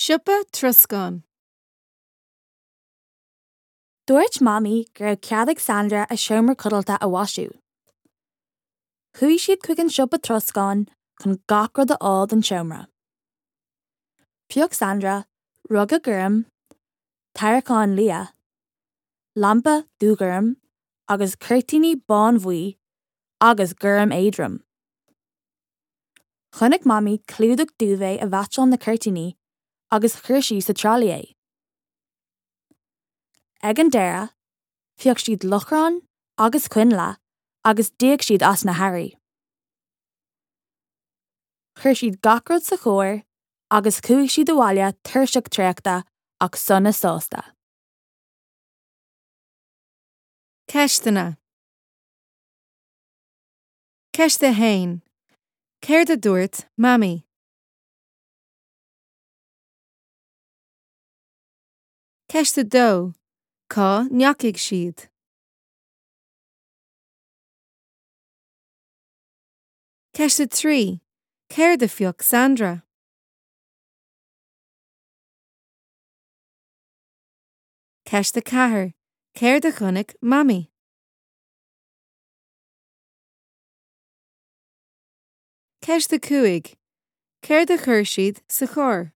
Siopa troscáin. Dúirt Mamaí go raibh cead ag Sandra a seomra codlata a mhaisiú. Chuaigh siad chuig an siopa troscáin chun gach rud a fháil don seomra. Phioc Sandra ruga gorm, tarraiceán liath, lampa dúghorm agus cuirtíní bánbhuí agus gorm éadrom. Chonaic Mamaí clúdach duvet a mheaitseáil na cuirtíní agus chuir sí sa tralaí é. Ag an deireadh, phioc siad lochrán agus coinnle agus d'íoc siad as na hearraí. Chuir siad gach rud sa charr agus chuaigh siad abhaile tuirseach traochta ach sona sásta. Ceisteanna. Ceist 1. Céard a dúirt Mamaí? Ceist 2. Cá ndeachaigh siad? Ceist 3. Céard a phioc Sandra? Ceist 4. Céard a chonaic Mamaí? Ceist 5. Céard a chuir siad sa charr?